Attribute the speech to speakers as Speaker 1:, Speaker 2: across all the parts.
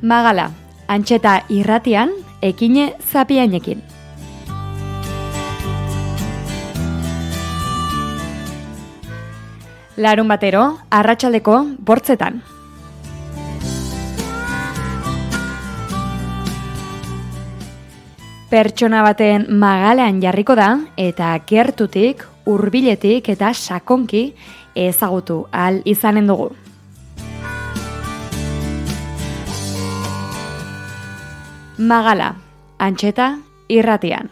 Speaker 1: Magala, Antxeta irratian, Ekine Zapiainekin. Larun batero, arratsaldeko 8:00. Pertsona baten magalean jarriko da eta gertutik, hurbiletik eta sakonki ezagutu ahal izanen dugu. Magala, Antxeta irratian.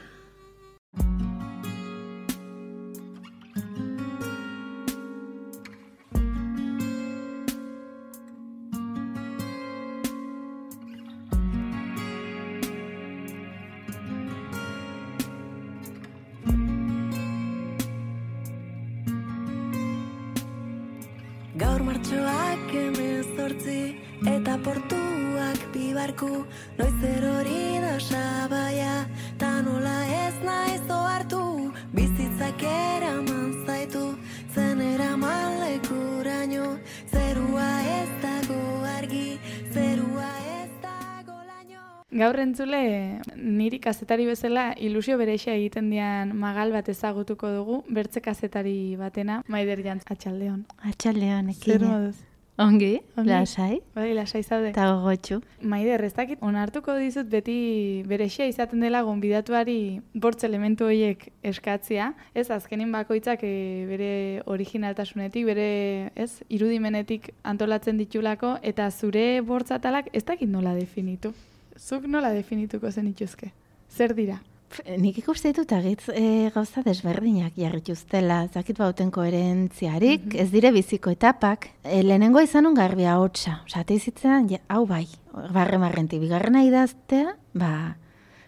Speaker 2: Gaur martxoak 18 eta portuak bibarku, noiz erori da sabaia, ta nola ez naiz ohartu, bizitzak eraman zaitu, zen eraman lekuraino, zerua ez dago argi, zerua ez dago laino.
Speaker 3: Gaur entzule, niri kazetari bezala ilusio berexia egiten dian magal bat ezagutuko dugu, bertze kazetari batena, Maider Jantz, atxaldeon.
Speaker 4: Atxaldeon, Ekine.
Speaker 3: Zer moduz?
Speaker 4: Ongi, lasai.
Speaker 3: Bai, lasai zaude.
Speaker 4: Eta gogotxu.
Speaker 3: Maider, ez dakit, onartuko dizut beti berexia izaten dela gonbidatuari bortz elementu horiek eskatzia, ez azkenin bakoitzak bere originaltasunetik, bere irudimenetik antolatzen ditulako, eta zure bortzatalak ez dakit nola definitu. Zuk nola definituko zenituzke? Zer dira?
Speaker 4: Nik ikuste ditut agitz gauza desberdinak jarrituztela, zakit bauten koherentziarik, ez dire biziko etapak. Lehenengo izanun garbia hotxa, osate izitzen, hau bai, barre-marrenti, bigarrena idaztea,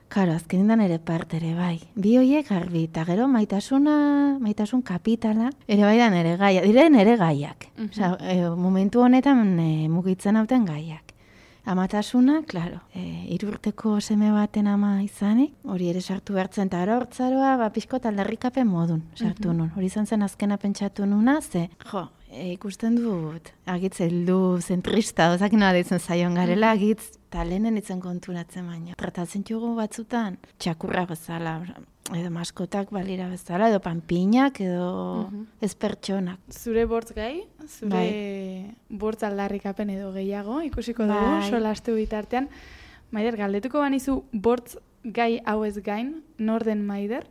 Speaker 4: karo, azkenindan ere partere bai. Bi hoiek garbi, eta gero maitasun kapitala, ere bai da nere gaia, dire nere gaiak. Momentu honetan mugitzen hauten gaiak. Amatasuna, klaro, 3 urteko seme baten ama izanik, hori ere sartu behartzen, eta hortzaroa, pixko aldarrikapen modun sartu nun. Hori izan zen azkena pentsatu nuna, ikusten dut, agitz heldu zentrista, ozakin nola ditzen zaion garela, agitz talenen itzen konturatzen baina. Tratatzen jugu batzutan, txakurra bezala, edo maskotak balira bezala, edo panpinak, edo ez pertsonak.
Speaker 3: Zure bortz gai, zure bortz aldarrikapen edo gehiago, ikusiko dugu, solastu bitartean. Maider, galdetuko banizu bortz gai hau ez gain, nor den Maider,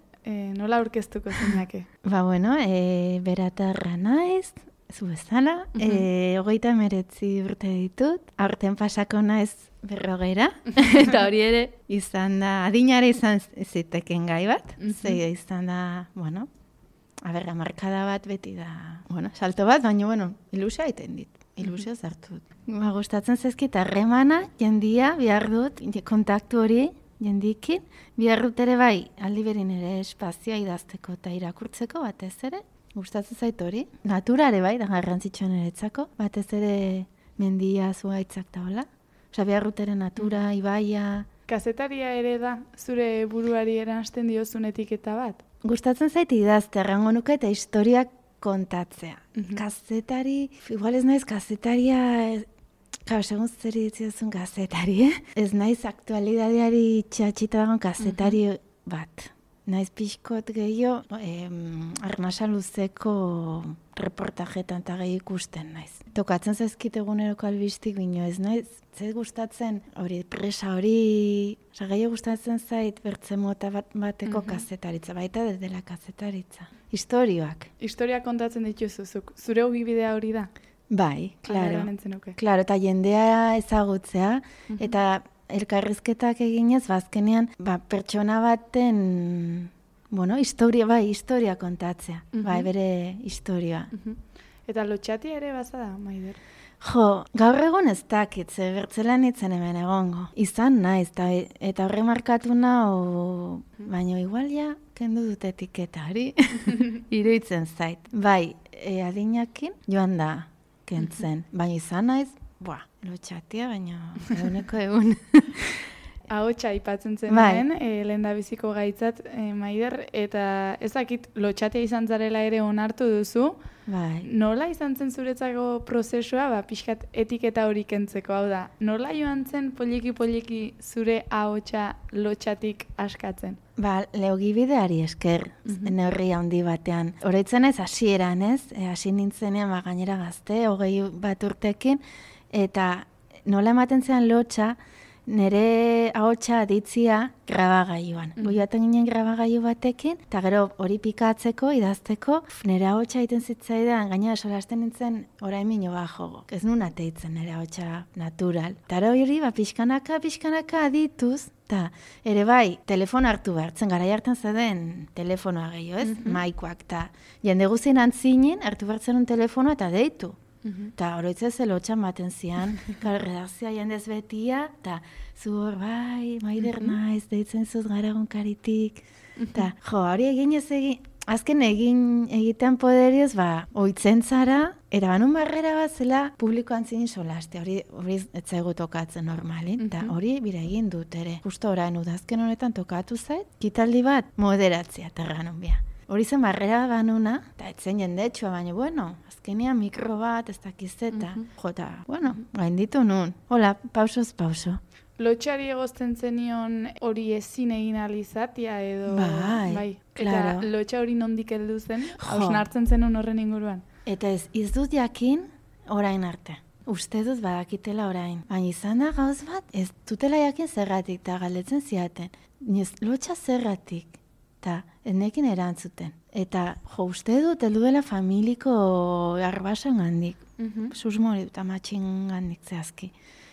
Speaker 3: nola aurkeztuko zinake?
Speaker 4: Beratarra naiz, zu bezala, 39 urte ditut, aurten pasako naiz 40, eta hori ere izan da, adinare izan ziteken gai bat, izan da, markada bat beti da, salto bat, baina, ilusia egiten dit, ilusio zartu dut. Gustatzen zaizkit, harremana, jendia, behar dut, kontaktu hori, jendikin, behar dut ere bai, aldi berin ere espazioa idazteko eta irakurtzeko batez ere, gustatzen zait hori. Naturare bai, da garrantzitsuan eretzako, batez ere mendia, zuaitzak da hola. Osa, behar dut ere natura, ibaia.
Speaker 3: Kazetaria ere da, zure buruari eransten diozun etiketa bat?
Speaker 4: Gustatzen zait idazte, errango nuke eta historiak kontatzea. Kazetari, igual ez naiz kazetaria, segun zer ditziozun kazetari, Ez naiz aktualidadeari txatxita dagoen kazetari bat. Naiz pixkot gehiago, arnasa luzeko reportajetan eta gehi ikusten naiz. Tokatzen zaizkit eguneroko albistik bino ez naiz, zait gustatzen hori presa hori, gehiago gustatzen zait bertze mota bateko kazetaritza, baita dela kazetaritza. Historioak.
Speaker 3: Historiak kontatzen dituzuzuk, zure ogibidea hori da?
Speaker 4: Bai, klaro, eta jendea ezagutzea, eta elkarrizketak eginez, bazkenean, pertsona baten, historia kontatzea, bere historia.
Speaker 3: Eta lotxatia ere bazada, Maider?
Speaker 4: Gaur egon ez dakit, bertzelan itzen hemen egongo. Izan naiz, eta horre markatu nahu, baina igual kendu dut etiketari, iruditzen zait. Bai, adinakin joan da kentzen, baina izan naiz, lotxatia, baina eguneko egun.
Speaker 3: ahotsa aipatzen zen
Speaker 4: Bai.
Speaker 3: lehen da biziko gaitzat, Maider, eta ezakit lotxatea izan zarela ere onartu duzu.
Speaker 4: Bai.
Speaker 3: Nola izan zen zuretzako prozesua, pixkat etiketa hori kentzeko, hau da, nola joan zen poliki zure ahotsa lotxatik askatzen?
Speaker 4: Leogibideari esker, neurri handi batean. Horaitzen ez, hasieran ez, hasi nintzenean gainera gazte, 21 urtekin, eta nola ematen zean lotxa, nire ahotsa aditzia grabagailuan. Goiaten ginen grabagailu batekin, eta gero hori pikatzeko, idazteko, nire ahotsa egiten zitzaidan, gainera solasten nintzen orain mino bajo. Ez nun ateitzen nire ahotsa natural. Eta hori, pixkanaka adituz, eta ere bai, telefono hartu behartzen, garai hartan zaden telefonoa gehiago, ez? Maikoak, eta jende guzien antzinen, hartu behartzen un telefonoa eta deitu. Eta oroitzez lotxan baten zian, redakzioa jendez betia, eta zu hor bai, Maider naiz, deitzen zuz gara egunkaritik. Eta hori egin ez egin, azken egiten poderioz, oitzen zara, erabanun barrera bat zela publikoan zinin solaste, hori ez zaigu tokatzen normalin, eta hori bire egin dut ere. Justo orain udazken honetan tokatu zait, kitaldi bat moderatzea terranun bia. Hori zen barrera banuna, eta etzen jendetsua, baina, azkenean mikro bat, ez dakizeta. Gainditu nun. Hola, pausoz pauso.
Speaker 3: Lotxari egozten zenion hori ezin egin alizatia edo...
Speaker 4: Bai, claro.
Speaker 3: Eta lotxa hori nondik heldu zen, hausnartzen zenun horren inguruan.
Speaker 4: Eta ez dut jakin orain arte. Uste dut badakitela orain. Baina izan da gauz bat, ez dutela jakin zerratik, eta galdetzen ziaten. Lotxa zerratik. Eta enekin erantzuten. Eta uste dut, heldu dela familiko arbasan gandik. Susmori dut amatxin gandik zehazki.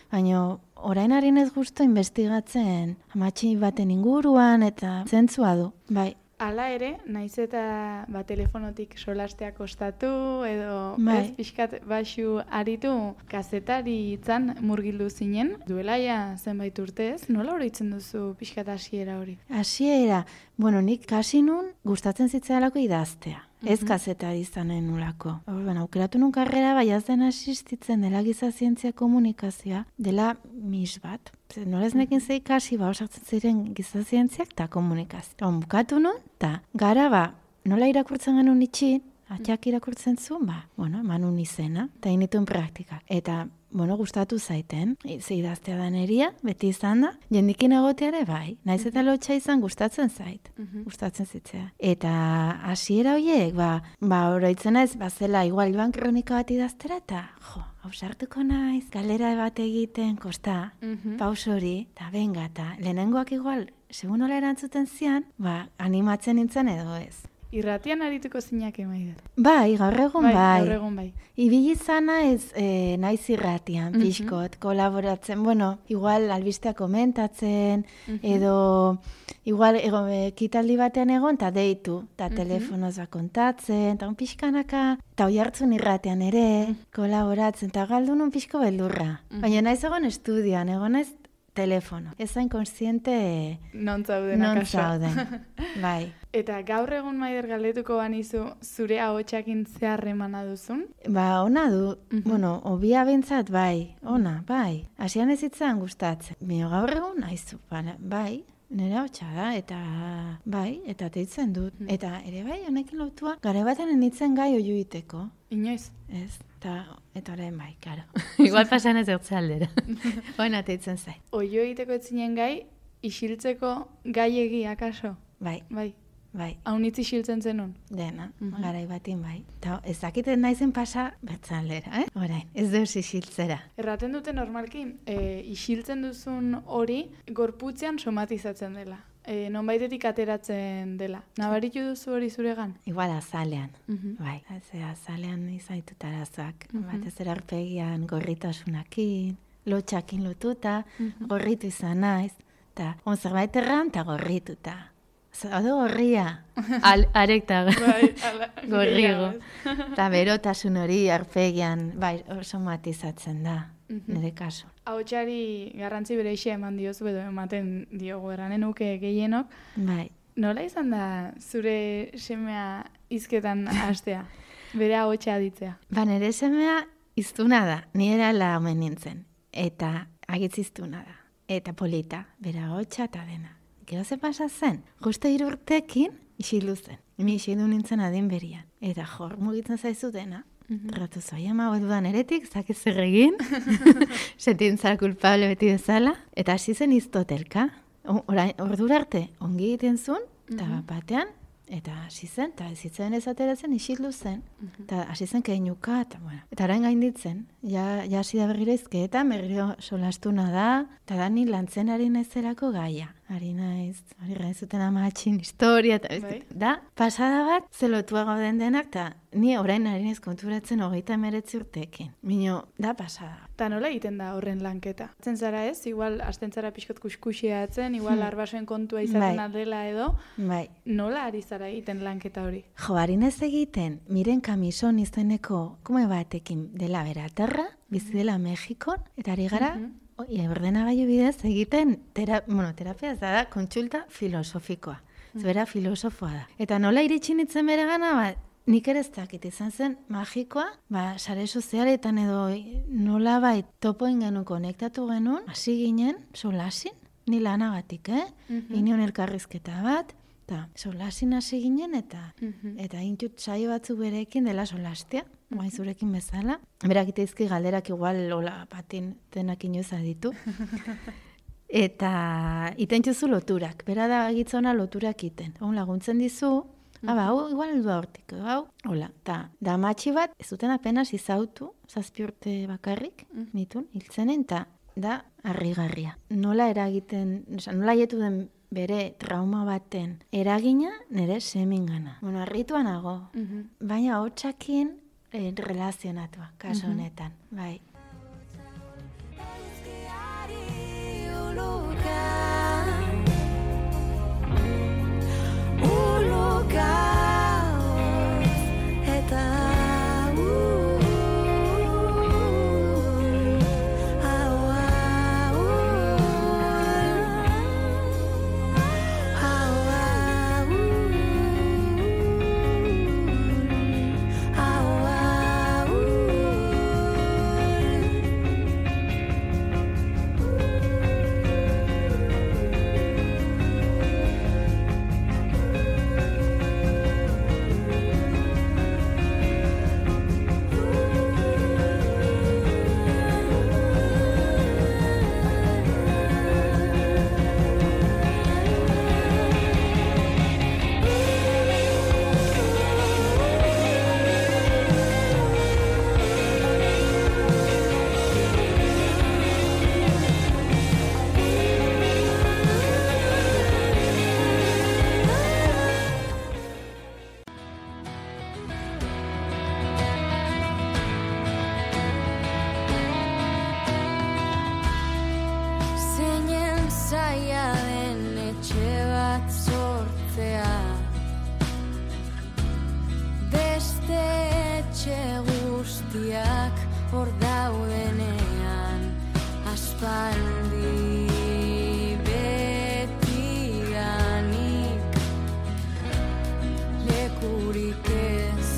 Speaker 4: Baina orain harin ez guztu investigatzen amatxin baten inguruan eta zentzua du. Bai.
Speaker 3: Hala ere, naiz eta telefonotik solastea kostatu edo ez pixkat baxu aritu kazetari itzan murgildu zinen. Duela ja zenbait urtez, nola oroitzen duzu pixkat hasiera hori?
Speaker 4: Hasiera, nik kasi nun gustatzen zitzaialako idaztea. Ez kazetari izanen nulako. Aukeratu nun karrera bai azden asistitzen dela giza zientzia komunikazioa, dela mis bat. Nola ez nekin zei kasi osatzen ziren giza zientziak eta komunikazioa. Bukatu nun, eta gara nola irakurtzen genuen itxin, atxak irakurtzen zuen, eman nun izena, eta inituen praktika. Eta, gustatu zaiten, idaztea da neria, beti izan da, jendikin egoteare bai, naiz eta lotxa izan gustatzen zait, gustatzen zitzea. Eta hasiera horiek, oroitzen ez, zela igual joan kronika bat idaztera, eta hausartuko naiz, galdera bat egiten, kosta, paus hori, eta benga, eta lehenengoak igual, segun nola erantzuten zian, animatzen nintzen edo ez.
Speaker 3: Irratian arituko zinak Maider?
Speaker 4: Bai, gaur egun bai.
Speaker 3: Gaur egun bai.
Speaker 4: Ibili zana ez naiz irratian, pixkot, kolaboratzen, igual albistea komentatzen, edo igual kitaldi batean egon, eta deitu, eta telefonoz kontatzen, eta pixkanaka, eta hoi hartzun irratian ere, kolaboratzen, eta galdu nun pixko beldurra. Baina naiz egon estudioan, egon naiz telefono. Ez zain konsiente
Speaker 3: non zauden.
Speaker 4: Bai.
Speaker 3: Eta gaur egun Maider galdetuko banizu zure ahotsakin zeharremana duzun?
Speaker 4: Ona du. Obia bintzat bai. Ona, bai. Hasian ez itzan gustatzen. Gaur egun aizu, bai. Nire ahotsa da, eta bai, eta teitzen dut. Eta ere bai, honekin lotua, gara baten enitzen gai oiuiteko.
Speaker 3: Inoiz?
Speaker 4: Ez, eta orain bai, karo.
Speaker 5: Igual pasan ez ertza aldera.
Speaker 4: Oina teitzen zai.
Speaker 3: Oioiteko etzinen gai, isiltzeko gai egi, akaso?
Speaker 4: Bai. Bai.
Speaker 3: Haunitz isiltzen zenun?
Speaker 4: Dena, garai batin bai. Eta ez dakiten naizen pasa bertzan aldera, orain, ez deus isiltzera.
Speaker 3: Erraten dute normalki, isiltzen duzun hori, gorputzean somatizatzen dela. Nonbaitetik ateratzen dela. Nabaritu duzu hori zuregan?
Speaker 4: Igual azalean, bai. Azalean izaitut arazoak. Batez erarpegian gorritasunakin, lotxakin lotuta, gorritu izan naiz. Eta zerbait erran eta gorrituta. Zaude gorria.
Speaker 5: Arekta gorrigo.
Speaker 4: Eta berotasun hori arpegian, bai, somatizatzen da, nire kasu.
Speaker 3: Ahotsari garrantzi bereixe eman diozu edo ematen diogu erranen uke gehienok.
Speaker 4: Bai.
Speaker 3: Nola izan da zure semea hizketan hastea? Bere ahotsa aditzea?
Speaker 4: Nire semea iztuna da, ni erala omen nintzen. Eta agitz iztuna da. eta polita, bera hotxa eta dena. Gero ze pasa zen, justo 3 urtekin isildu zen. Ni isildu nintzen adin berian. Eta jor mugitzen zaizu dena. Ratu zoi ama dudan eretik, zakiz zer egin, sentintzara kulpable beti bezala, eta hasi zen iztotelka. Ordura arte ongi egiten zuen, eta batean, eta hasi zen, eta ezitzen ezatera zen, isildu zen, eta hasi zen keinuka, eta bueno. Eta orain gainditzen, ja hasi da berriro izkeetan, berriro solastuna da, eta da ni lantzen ari naizerako gaia. Ari gaizuten amatxin historia, eta da, pasada bat, zelotua gauden denak, eta ni orain ari naiz konturatzen 39 urteekin. Mino, da pasada.
Speaker 3: Eta nola egiten da horren lanketa? Atzen zara ez, igual asten zara pixkot kuskuxiatzen, igual arbasoen kontua izaten aldela edo, nola ari zara egiten lanketa hori?
Speaker 4: Jo, ari naiz egiten, Miren Kamison izeneko kume batekin dela beratarra, bizi dela Mexikon, eta ari gara, ordenagailu bidez egiten, terapia ez da, kontsulta filosofikoa. Zbera filosofoa da. Eta nola iritsi nintzen bere gana, nik ere ez dakit izan zen magikoa, sare sozialetan edo nola topoen genuen konektatu genuen, hasi ginen, solasin, ni lanagatik, inion elkarrizketa bat, eta solasin hasi ginen, eta intut saio batzuk berekin dela solastia, guai zurekin bezala. Berak iteizki galderak igual hola patin denak inoz aditu. Eta iten juzu loturak, bera da gitzona loturak iten. Hon laguntzen dizu, hau igual heldu hortik, hau, hola. Ta da matxi bat, ez duten apenas izautu, 7 urte bakarrik, nitun, hiltzenen, eta da harrigarria. Nola eragiten, nola haietu den bere trauma baten eragina nire semingana. Bueno, harrituan nago, baina hotxakin relazionatua, kaso honetan, bai.
Speaker 2: Hor daudenean aspaldi betianik lekurik ez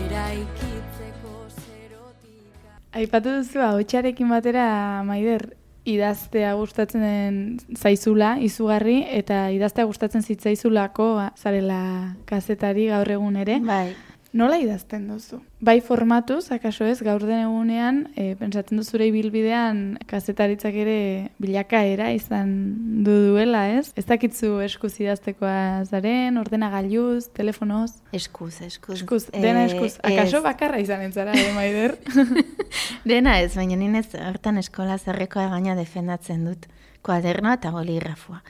Speaker 2: eraikitzeko zerotika.
Speaker 3: Aipatu duzu ahotsarekin batera, Maider, idaztea gustatzen zaizula, izugarri, eta idaztea gustatzen zitzaizulako zarela kazetari gaur egun ere.
Speaker 4: Bai.
Speaker 3: Nola idazten duzu? Bai formatuz, akaso ez, gaur den egunean, pentsatzen duzure ibilbidean kazetaritzak ere bilakaera izan duela, ez? Ez dakitzu eskuz idaztekoa zaren, ordenagailuz, telefonoz?
Speaker 4: Eskuz.
Speaker 3: Dena eskuz. Akaso bakarra izanen zara, Maider?
Speaker 4: Dena ez, baina ninez hortan eskola zerrekoa gaina defendatzen dut. Kuadernoa eta boligrafoa.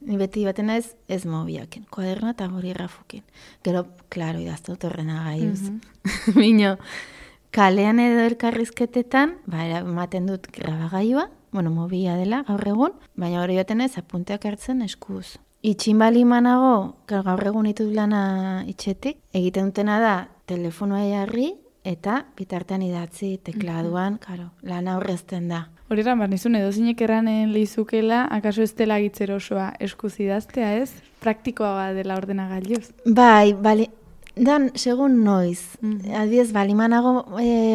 Speaker 4: Ni beti baten ez mobiaken. Kuadernoa eta boligrafokin. Gero, klaro, idaztut ordenagailuz. Bino, kalean edo elkarrizketetan, ematen dut grabagailua, mobila dela gaur egun, baina hori baten ez apunteak hartzen eskuz. Itxin bali manago, gaur egun ditut lana itxetik, egiten dutena da telefonoa jarri eta bitartean idatzi tekladuan, lana horrezten da.
Speaker 3: Hori eran, nizun edozinek erranen lehizukela, akaso ez dela gitzer osoa eskuz idaztea, ez? Praktikoa dela ordenagailuz.
Speaker 4: Bai, Dan, segun noiz. Adibidez, balimanago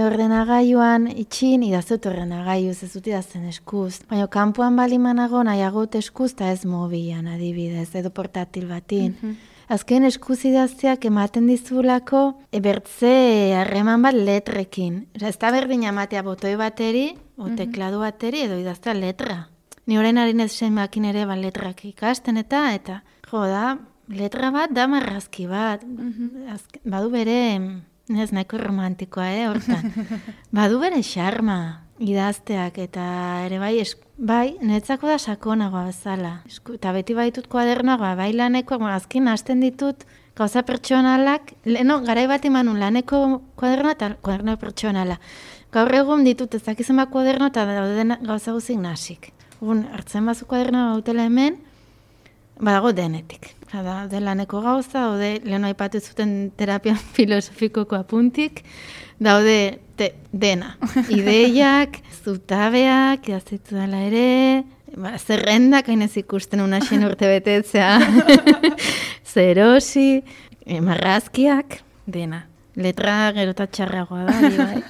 Speaker 4: ordenagailuan itxin, idazut ordenagailuz, ez dut idazten eskuz. Baina kanpoan balimanago nahiagot eskuz, eta ez mobilan adibidez, edo portatil batin. Azken eskuz idazteak ematen dizulako bertze harreman bat letrekin. Ez da berdin amatea botoi bateri, o tekladu bateri, edo idaztea letra. Ni orain harin ez zenbakin ere letrak ikasten eta jo da, letra bat da marrazki bat. Badu bere, ez nahiko romantikoa, hortan. Badu bere xarma idazteak eta ere bai, netzako da sakonagoa bezala. Eta beti baitut kuadernoa, bai laneko, azkin hasten ditut gauza pertsonalak, garai bat imanun laneko kuadernoa eta kuadernoa pertsonala. Gaur egun ditut ezakizen bat kuaderno eta dauden gauza guzik nasik. Hartzen bazu kuadernoa gautela hemen, badago denetik. Daude laneko gauza, daude leheno aipatu zuten terapia filosofikoko apuntik, daude dena. Ideiak, zutabeak, idaztetu dela ere, zerrendak, hainez ikusten unaxen urte betetzea, zerosi, marrazkiak, dena. Letra gero eta txarragoa da, bai.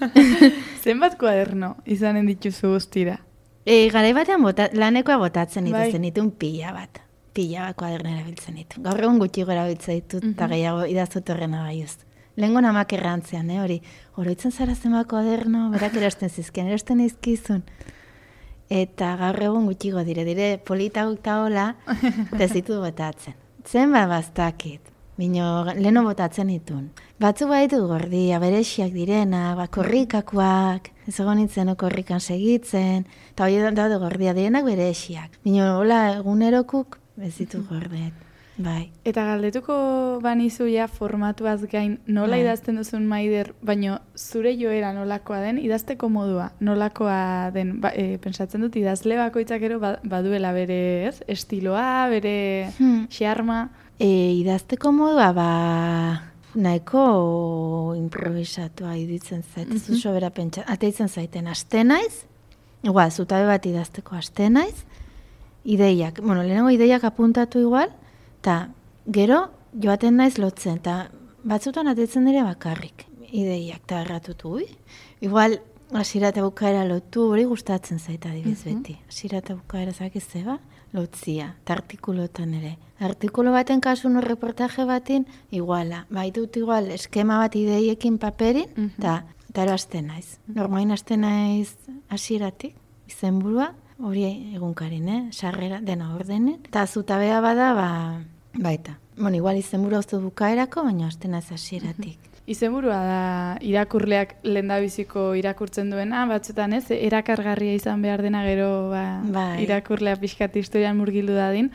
Speaker 3: Zenbat kuaderno izanen dituzu guztira?
Speaker 4: Garai batean lanekoa botatzen dituzten ditun pila bat kuaderno erabiltzen ditu. Gaur egun gutxi gora biltzen ditut, eta gehiago idazut horrena gaiuz. Lehenko namak errantzean, hori. Oroitzen zara zenbat kuaderno, berak erosten zizkien, erosten izkizun. Eta gaur egun gutxi dire politauk eta hola, eta ez ditu botatzen. Zenbat bastakit, bino leheno botatzen ditun. Batzu baitu gordia, berexiak direna, korrikakoak, ez egon nintzen korrikan segitzen, eta hori daude gordia direnak berexiak. Bino hola egunerokuk ez ditu gordeet, bai.
Speaker 3: Eta galdetuko banizu ja formatuaz gain nola idazten duzun Maider, baino zure joera nolakoa den, idazteko modua nolakoa den, pentsatzen dut idazle bakoitzak ero baduela bere estiloa, bere xarma.
Speaker 4: Idazteko modua, nahiko improvisatua iditzen zait, ez dut sobera ateitzen zaiten, aste naiz, igual, zutabe bat idazteko aste naiz, ideiak, lehenengo ideiak apuntatu igual, eta gero joaten naiz lotzen, eta batzutan ateitzen dire bakarrik ideiak, eta erratutu, igual, hasiera eta bukaera lotu, hori gustatzen zaita adibidez beti, hasiera eta bukaera zakizeba, lotzia, eta artikulotan ere. Artikulo baten kasun reportaje batin, iguala. Baitut igual, eskema bat ideiekin paperin, eta ero hasten naiz. Normain hasten naiz hasieratik, izenburua, hori egunkarin, sarrera dena ordenen. Eta zutabea bada, baita. Igual izenburua uste bukaerako, baina hasten naiz hasieratik.
Speaker 3: Izenburua da irakurleak lehendabiziko irakurtzen duena, batzutan ez, erakargarria izan behar dena gero irakurlea pixkat historian murgildu dadin.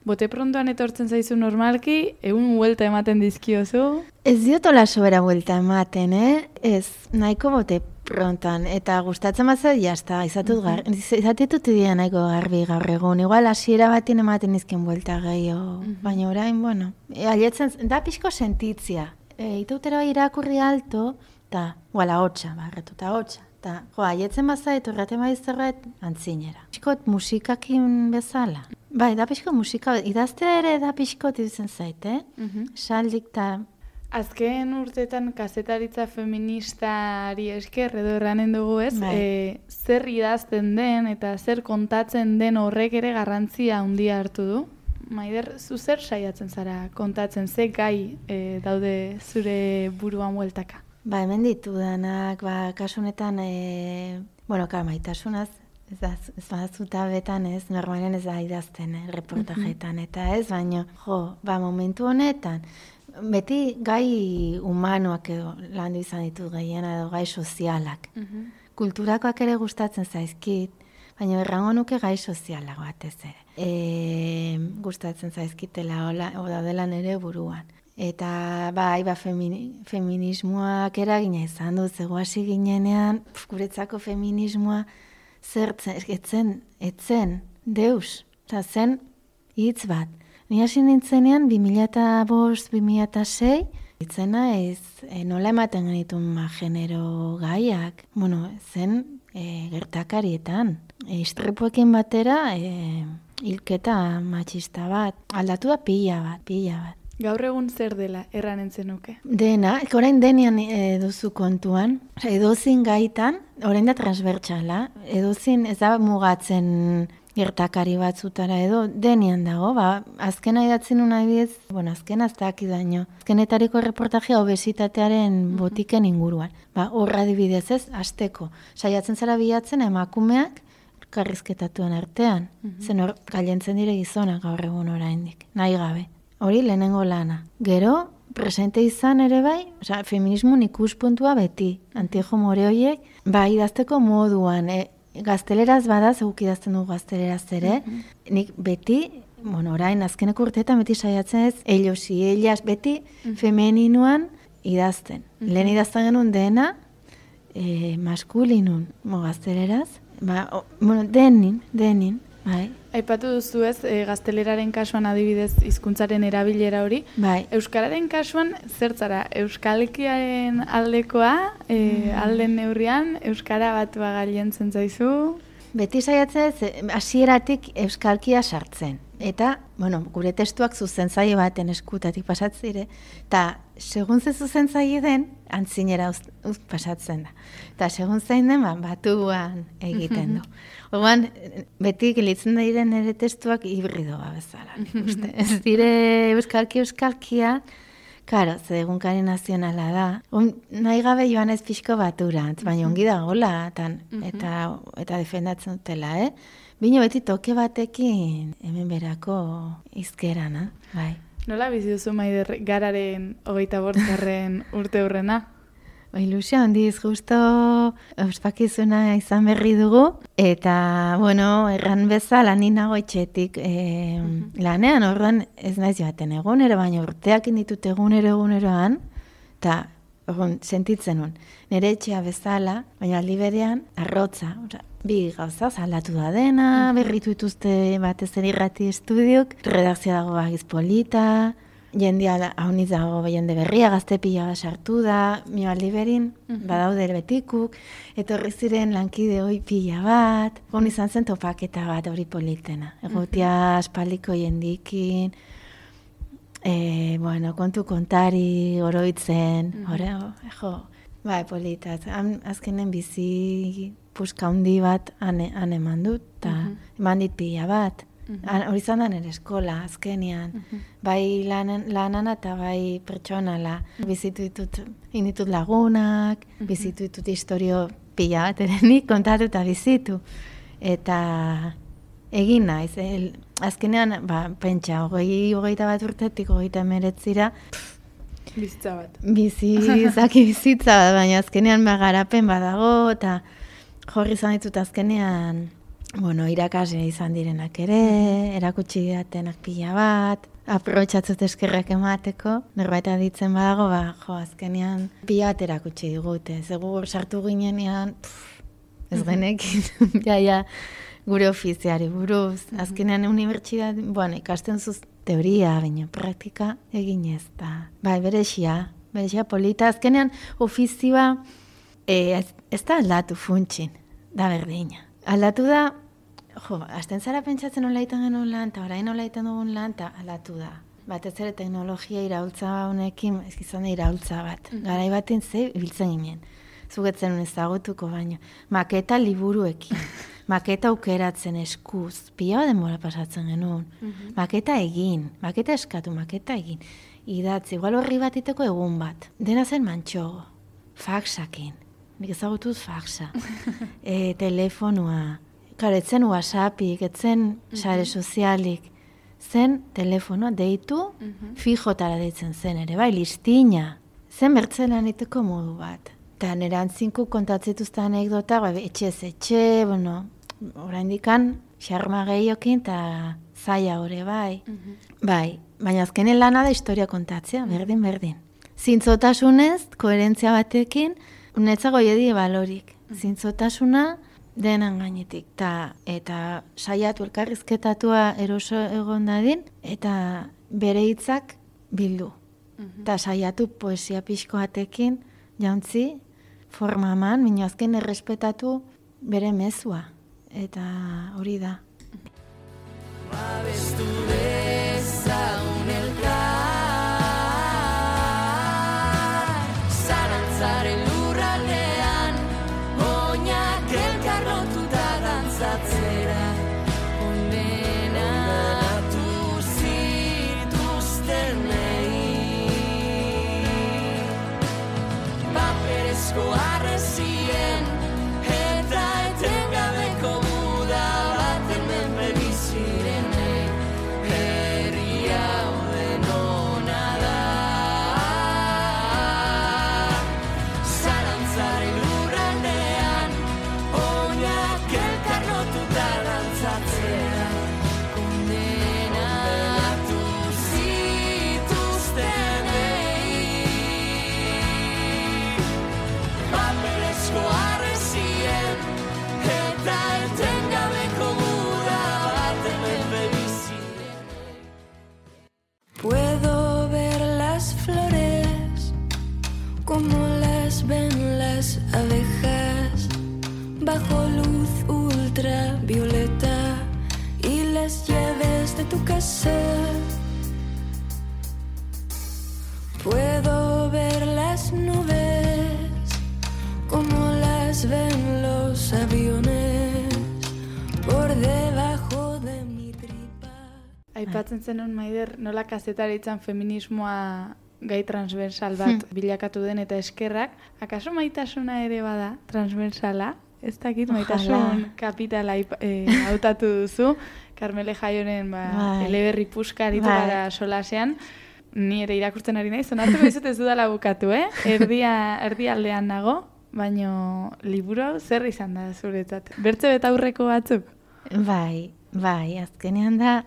Speaker 3: Bote prontoan etortzen zaizu normalki, egun huelta ematen dizkiozu?
Speaker 4: Ez diotola sobera huelta ematen, Ez, nahiko bote prontoan, eta gustatzen bat zait, jazta, izatitut idea nahiko garbi gaur egun. Igual hasiera batin ematen dizkin huelta gehiago, baina orain, alietzen, da pixko sentitzia. Itautera irakurri alto, eta, ahotsa, barretuta ahotsa. Eta, aietzen bazait, horreten baizterret, antzinera. Pixkot musikakin bezala. Bai, da pixko musika, idaztea ere da pixkot iduzen zait, Saldik eta...
Speaker 3: Azken urteetan kazetaritza feministari esker edo erranen dugu ez, zer idazten den eta zer kontatzen den horrek ere garrantzia handia hartu du. Maider, zu zer saiatzen zara kontatzen, ze gai daude zure buruan bueltaka?
Speaker 4: Hemen ditudanak, kasunetan, maitasunaz, ez badazutabetan ez, normalen ez da idazten, reportajetan, eta ez, baina, momentu honetan, beti gai humanoak edo landu izan ditu gehiena edo gai sozialak. Kulturakoak ere gustatzen zaizkit, baina errango nuke gai sozialak batez ere. Gustatzen zaizkitela daudela nere buruan. Eta feminismoak eragina izan du, zego hasi ginenean, guretzako feminismoa etzen deus, eta zen hitz bat. Ni hasi nintzenean 2005-2006, itzena ez nola ematen genitun genero gaiak, zen gertakarietan. Istripuekin batera, hilketa matxista bat, aldatu da pila bat.
Speaker 3: Gaur egun zer dela erranen zenuke?
Speaker 4: Dena, orain denean duzu kontuan, edozin gaitan, orain da transbertsala, edozin ez da mugatzen gertakari batzutara edo denean dago, azkena idatzen nun adibidez, azkena ez dakidaino, azkenetariko reportajea obesitatearen botiken inguruan. Horra adibidez ez, asteko, saiatzen zara bilatzen emakumeak karrizketatuen artean, zen hor gailentzen dire gizonak gaur egun oraindik, nahi gabe. Hori lehenengo lana. Gero, presente izan ere bai, feminismoen ikuspuntua beti, anti-homore horiek, idazteko moduan, gazteleraz badaz, guk idazten dugu gazteleraz ere, nik beti, orain azkeneko urteetan beti saiatzen ez, ellos y ellas, beti femeninoan idazten. Lehen idazten genuen dena, maskulinun, gazteleraz, denin, bai.
Speaker 3: Aipatu duzu ez, gazteleraren kasuan adibidez hizkuntzaren erabilera hori.
Speaker 4: Bai.
Speaker 3: Euskararen kasuan, zertzara, euskalkiaren aldekoa, alden neurrian, euskara batua gailentzen zaizu?
Speaker 4: Beti saiatzen ez, hasieratik euskalkia sartzen. Eta, gure testuak zuzentzaile baten eskutatik pasatzire, eta segun ze zuzentzaile den, antzinera pasatzen da. Eta segun zein den, batuan egiten du. Orduan, beti gelitzen diren ere testuak hibridoa bezala, nik uste. Ez dire euskalkia, karo, ze egunkari nazionala da. Nahi gabe joan ez pixko baturantz, baina ongi da gola, eta defendatzen dutela, Bino beti toke batekin hemen berako izkerana, bai.
Speaker 3: Nola bizi duzu Maider gararen 25. urte hurrena?
Speaker 4: Ilusio handiz, justo ospakizuna izan berri dugu, eta, erran bezala ni nago etxetik lanean, orduan ez naiz joaten egunero, baina urteak inditut eguneroan, eta sentitzen nun. Nire etxea bezala, baina aldi berean, arrotza, bi gauza, aldatu da dena, berritu dituzte batez ere irrati estudiok, redakzioa dago bagiz polita, jendea hauniz dago jende berria, gazte pila sartu da, aldi berin, badaude betikuk, etorri ziren lankide hoi pila bat, hon izan zen topaketa bat hori politena, egotia aspaldiko jendikin, kontu kontari, oroitzen, polita, azkenen bizi puska handi bat han eman dut, eta eman dit pila bat. Hori izan da nire eskola, azkenean. Bai lanana eta bai pertsonala. Bizitu ditut lagunak, bizitu ditut historio pila bat ere nik kontatu eta bizitu. Eta egin naiz, azkenean, pentsa, 21 urtetik 39
Speaker 3: bizitza bat.
Speaker 4: Bizitza bat, baina azkenean garapen badago, eta jorri izan ditut azkenean, irakasle izan direnak ere, erakutsi didatenak pila bat, aprobetxatzut eskerrak emateko, norbait aditzen badago, azkenean pila bat erakutsi digute. Segur sartu ginenean, ez genekin, gure ofiziari buruz. Azkenean unibertsitate, ikasten zuz teoria, baina praktika egin ez da. Berexia polita. Azkenean ofizioa ez da aldatu funtsin, da berdina. Aldatu da, hasten zara pentsatzen nola egiten genuen lan, eta orain nola egiten dugun lan, eta aldatu da. Batez ere teknologia iraultza honekin, ez izan da iraultza bat. Garai baten ze biltzen ginen. Zugetzen ezagutuko baino. Maketa liburuekin. Maketa aukeratzen eskuz. Pila denbora pasatzen genuen. Maketa egin. Maketa eskatu, maketa egin. Idatzi, igual horri bat iteko egun bat. Dena zen mantxogo. Faxakin. Nik ezagutuz faxa. Telefonua. Karo, etzen WhatsAppik, etzen sare sozialik. Zen telefonoa deitu, fijotara deitzen zen ere, listina. Zen bertzelan iteko modu bat. Eta nire antzinku kontatzituzte anekdota, etxez etxe, orain dikan, xarma gehiokin eta zaila hori, bai. Baina azkenen lana da historia kontatzea, berdin. Zintzotasunez, koherentzia batekin, netzago jedi balorik. Zintzotasuna denan gainetik. Eta saiatu elkarrizketatua eroso egon dadin, eta bere hitzak bildu. Eta saiatu poesia pixko batekin, jauntzi, formaman, minio azken errespetatu bere mezua. Eta hori da.
Speaker 2: Babestu dezagun elkar mientras ven los aviones por debajo de mi tripa.
Speaker 3: Aipatzen zenun, Maider, nola kazetaritzan feminismoa gai transversal bat bilakatu den eta eskerrak. Akaso maitasuna ere bada transversala? Ez dakit, maitasun kapitala hautatu duzu. Karmele Jaioren eleberri puskaritu gara solasean. Ni ere irakurtzen ari naiz, onartuko dizut ez dudala bukatu, erdialdean nago, baino liburu hau zer izan da zuretzat? Bertze betaurreko batzuk?
Speaker 4: Bai, azkenean da,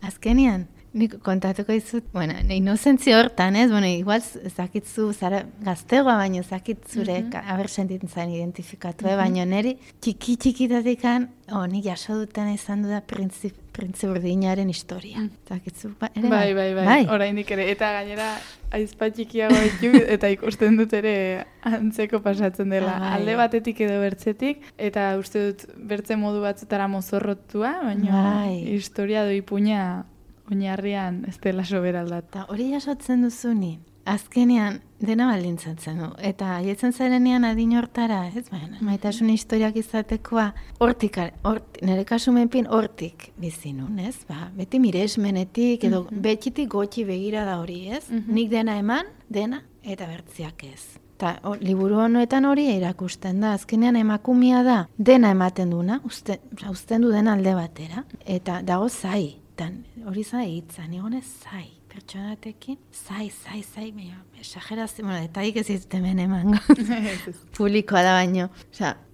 Speaker 4: azkenean, nik kontatuko dizut, inozentzia hortan, ez? Igual zakitzu, zara gaztegoa, baino zakit zure, aber sentitzen zain identifikatu, baino neri txikitatikan, nik jaso duten izan du da Printze Urdinaren historia. Zakitzu, ere?
Speaker 3: Bai, oraindik ere. Eta gainera, aizpa txikiago ditu, eta ikusten dut ere antzeko pasatzen dela. Alde batetik edo bertzetik, eta uste dut bertze modu batzutara mozorrotua, baina historia doi puña oinarrian ez dela soberaldat.
Speaker 4: Eta hori jasotzen duzuni, azkenean dena baldintzatzen du. Eta haietzen zarenean adin hortara, ez maitasun historiak izatekoa, nire kasumenpin hortik bizinun, ez? Beti miresmenetik, edo betxitik gotxi begira da hori, ez? Nik dena eman, dena, eta bertziak ez. Eta liburu honetan hori erakusten da, azkenean emakumia da, dena ematen duna, uzten du dena alde batera, eta dago zai. Hori zai hitzan, egonez zai, pertsonatekin, zai, esagerazio, detaik ez izte hemen emango, publikoa da baino,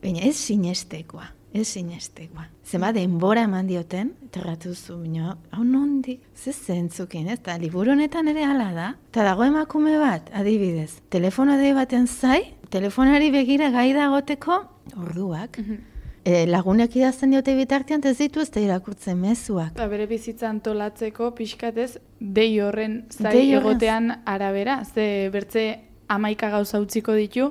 Speaker 4: baina ez sinestekoa. Zema denbora eman dioten, terratu zu, hau nondik, ze zentzukin, ez da, liburu honetan ere hala da, eta dago emakume bat, adibidez, telefono dei baten zai, telefonari begira gai dagoteko, orduak, lagunek idazten diote bitartean ez ditu ez da irakurtzen mezuak.
Speaker 3: Bere bizitza antolatzeko pixkatez dei horren zai egotean arabera, ze bertze 11 gauza utziko ditu,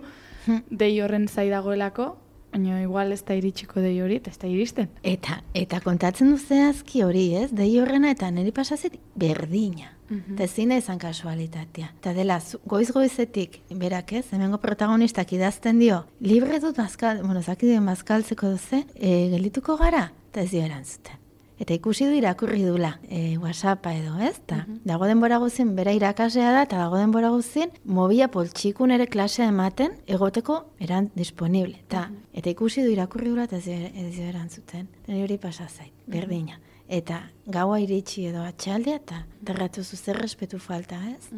Speaker 3: dei horren zai dagoelako, baina igual ez da iritsiko dei hori, eta ez da iristen.
Speaker 4: Eta kontatzen du zehazki hori, ez? Dei horrena eta niri pasazet berdina. Eta ezin izan kasualitatea. Eta dela, goiz-goizetik, berak ez, hemengo protagonistak idazten dio, libre dut bazkaltzeko duze, geldituko gara, eta ez dio erantzuten. Eta ikusi du irakurri dula, WhatsAppa edo, ez? Dago denbora guzien, bera irakasea da, eta dago denbora guzien, mobila poltxikun ere klasea ematen, egoteko disponible. Eta ikusi du irakurri dula, eta ez dio erantzuten. Eta hori pasazait, berdina. Eta gaua iritsi edo atxaldea, eta derratu zuzer respetu falta, ez?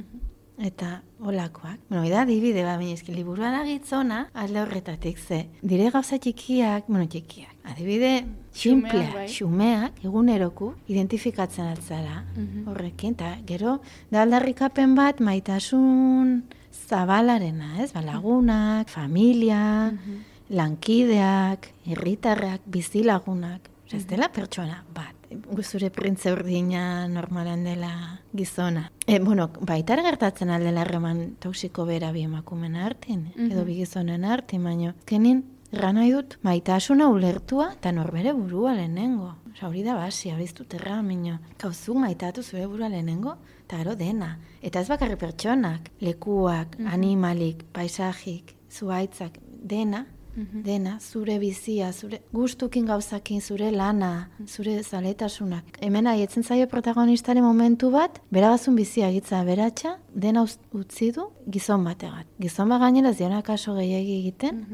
Speaker 4: Eta olakoak. Ida dibide, baina liburua da gitzona, alde horretatik ze. Dire gauza txikiak, adibide simplea, xumeak, eguneroku, identifikatzen atzara horrekin, eta gero, da aldarrikapen bat maitasun zabalarena, ez? Lagunak, familia, lankideak, herritarrak, bizilagunak, ez dela pertsona bat. Zure Printze Urdina normalan dela gizona. Baita gertatzen aldela harreman toksiko bera bi emakumen artin, edo bi gizonen artin, baina kenin nahi dut maitasuna ulertua eta norbere burua lehenengo. Hori da basi, hori ez dut erramino. Gauzuk maitatu zure burua lehenengo, eta gero dena. Eta ez bakarri pertsonak, lekuak, animalik, paisajik, zuaitzak, dena, zure bizia, zure gustukin gauzakin, zure lana, zure zaletasunak. Hemen haietzen zaio protagonistaren momentu bat, beragazun bizia egitza beratxa, dena utzi du gizon bategat. Gizon bat gainera ez diona kaso gehiagi egiten,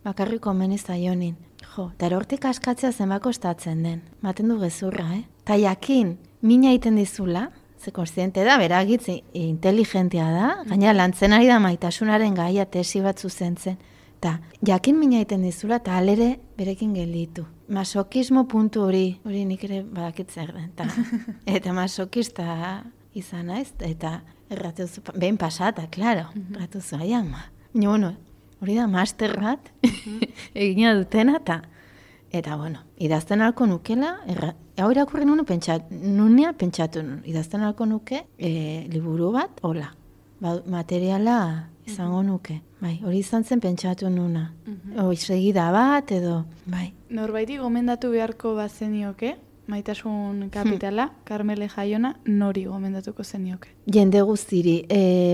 Speaker 4: bakarriko omen zaionin. Eta hortik askatzea zenbako estatzen den. Maten du gezurra, Ta jakin, mina egiten dizula, ze konstiente da, beragitzi inteligentia da, gaina lantzen ari da maitasunaren gaia tesi bat zuzentzen. Eta jakin mina egiten dizula, eta alere berekin gelditu. Masokismo puntu hori nik ere badakitzen den. Eta masokista izan naiz, eta erratuzu, behin pasata, klaro, erratuzu, hori da master bat, egina dutena, eta idazten alko nukela, hau irakurri nunea pentsatu nun, idazten alko nuke liburu bat, hola, materiala izango nuke. Hori izan zen pentsatu nuna. Segida bat edo,
Speaker 3: Norbaiti gomendatu beharko bat zenioke, maitasun kapitala, Karmele Jaiona, nori gomendatuko zenioke?
Speaker 4: Jende guztiri,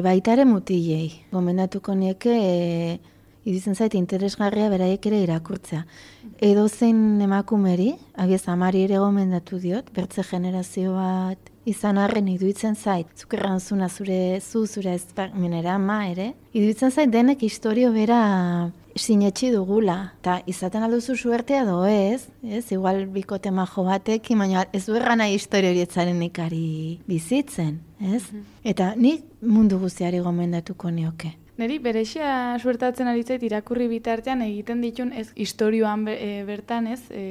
Speaker 4: baitare mutilei. Gomendatuko nieke iruditzen zait interesgarria beraiek ere irakurtzea. Edozein emakumeri, abiez amari ere gomendatu diot, bertze generazio bat izan arren iruditzen zait, zuk errantzuna zure ezpaminera ama ere, iruditzen zait denek historio bera sinetxi dugula, eta izaten alduzu suertea edo ez, igual bikote majo batekin, baina ez du erran nahi historio horietzaren ikari bizitzen, ez? Eta nik mundu guztiari gomendatuko nioke.
Speaker 3: Neri berexia suertatzen ari zait irakurri bitartean egiten ditun ez istorioan bertan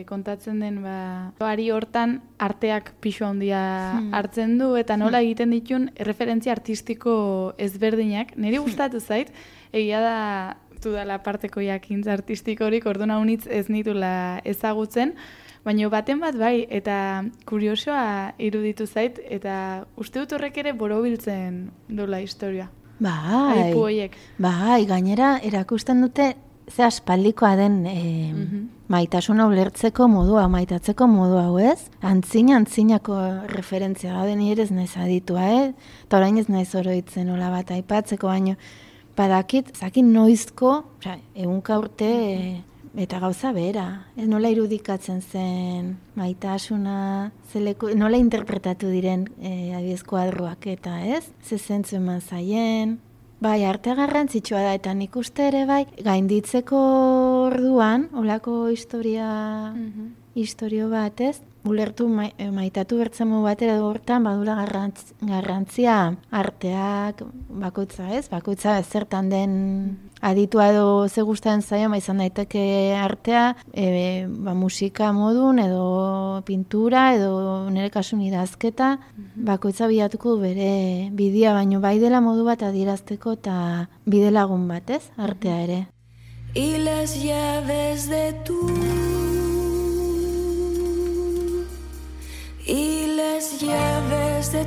Speaker 3: kontatzen den ari hortan arteak pisu handia hartzen du eta nola egiten ditun referentzia artistiko ezberdinak. Neri gustatu zait, egia da dudala parteko jakintza artistikorik, orduan unitz ez nitula ezagutzen, baina baten bat bai, eta kuriosoa iruditu zait, eta uste dut horrek ere borobiltzen duela historia.
Speaker 4: Bai, gainera erakusten dute ze aspaldikoa den maitasuna ulertzeko modua, maitatzeko modua, ez? Antzinako referentzia da den ere ez naiz aditua, eta orain ez naiz oroitzen hola bat aipatzeko, baino badakit, zakin noizko, ehunka urte eta gauza bera, nola irudikatzen zen maitasuna, nola interpretatu diren adiez kuadroak eta ez, ze zentzu eman zaien. Bai, arte garrantzitsua da, eta nik uste ere bai, gainditzeko orduan, olako historio bat ez, ulertu maitatu bertzemu batera hortan, badula garrantzia arteak bakoitza ez, bakoitza zertan den aditua edo ze gustatzen zaio, izan daiteke artea, musika modun edo pintura edo nire kasun idazketa, bakoitza bilatuko bere bidea, baino bai dela modu bat adierazteko eta bide lagun bat ez, artea ere.
Speaker 2: Y las llaves de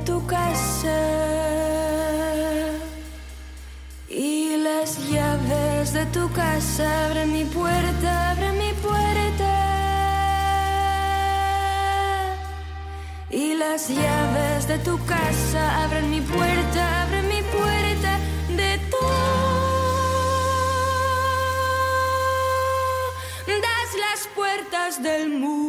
Speaker 2: tu casa, y las llaves de tu casa, abre mi puerta, y las llaves de tu casa, abren mi puerta de todas las puertas del mundo.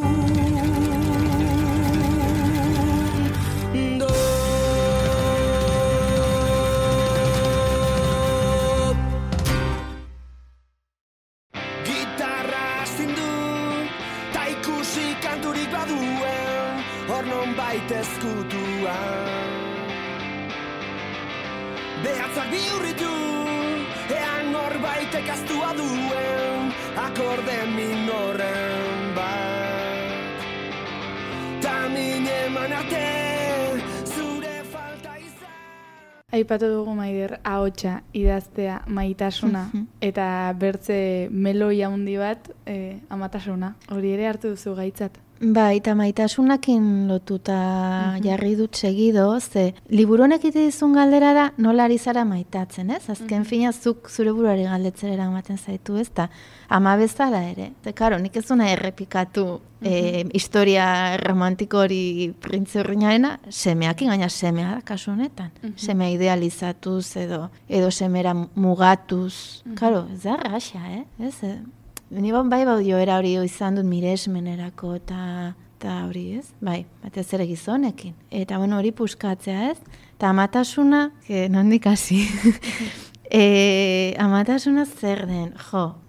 Speaker 6: Behatzak bihurritu, ean norbaitek aztua duen, akorde minorren bat. Ta min eman arte, zure falta izan.
Speaker 3: Aipatu dugu Maider, ahotsa, idaztea, maitasuna, eta bertze meloia handi bat, amatasuna. Hori ere hartu duzu gaitzat.
Speaker 4: Bai, eta maitasunakin lotuta jarri dut segido, ze liburu honek dizun galdera da nola ari zara maitatzen, ez? Azken fina zuk zure buruari galdetzera eramaten zaitu, ez? Ta ama bezala ere. Ze, karo, nik ez duna errepikatu historia romantiko hori printze horreinarena, semeakin, gaina semea da kasu honetan. Semea idealizatuz edo semera mugatuz. Karo, ez da raxa, ez? Ni bai joera hori izan dut miresmenerako eta hori ez, bai, batez ere gizonekin. Eta hori puskatzea ez, eta amatasuna, nondik hasi, amatasuna zer den,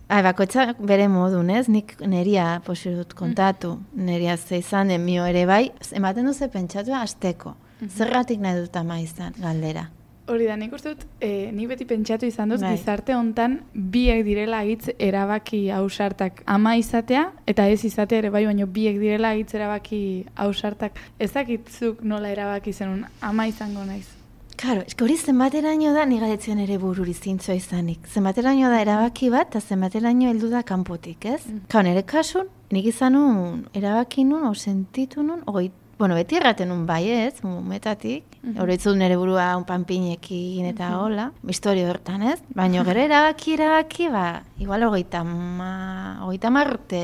Speaker 4: bakoitzak bere modun ez, nik neria posirut kontatu, neria ze izan den mio ere bai, ematen duze pentsatu azteko, zergatik nahi dut ama izan galdera.
Speaker 3: Hori da, nik uste dut, nik beti pentsatu izan dut, gizarte hontan biek direla hitz erabaki ausartak ama izatea, eta ez izatea ere bai, baina biek direla hitz erabaki ausartak. Ezakitzuk nola erabaki zenun ama izango naiz.
Speaker 4: Karo, hori zenbateraino da nigaretzen ere bururi zintzoa izanik. Zenbateraino da erabaki bat, eta zenbateraino heldu da kanpotik, ez? Nire kasun, nik izan nun, erabaki nun, sentitu nun, Bueno, beti erraten un bai ez, umetatik, oroitzu nire burua un panpinekin eta hola, historio hortan ez, baina gero erabaki, igual 30 urte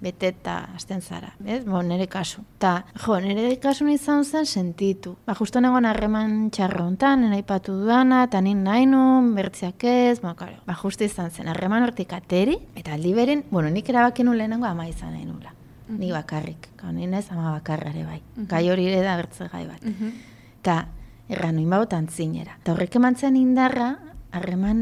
Speaker 4: beteta hasten zara, ez? Nire kasu. Ta, nire kasu izan zen sentitu. Justo negoen harreman txarro hontan, nena ipatu dudana, eta nin nahi nun, bertziak ez, justo izan zen, harreman hortik ateri, eta aldi berin, nik erabaki nun lehenengo ama izan nahi nula. Ni bakarrik, ninez ama bakarrare bai. Gai hori ere da bertze gai bat. Ta, erran nuin bautan zinera. Ta horrek emantzen indarra, harreman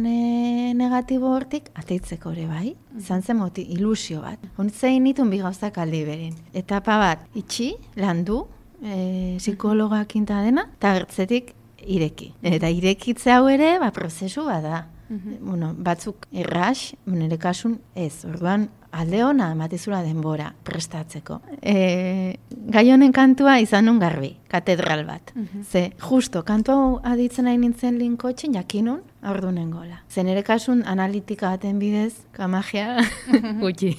Speaker 4: negatibo hortik ateitzeko ere bai. Izan zen ilusio bat. Honitzein nitun bi gauzak aldi berin. Etapa bat, itxi, landu, psikologak inta dena, eta gertzetik ireki. Eta irekitze hau ere, prozesu bada. Batzuk erras, nire kasun ez. Orduan, alde hona ematizula denbora prestatzeko. Gai honen kantua izan nun garbi, katedral bat. Ze, justo, kantua hau aditzen nahi nintzen linkotxin, jakinun, ordunen gola. Ze nire kasun analitika baten bidez, magia gutxi.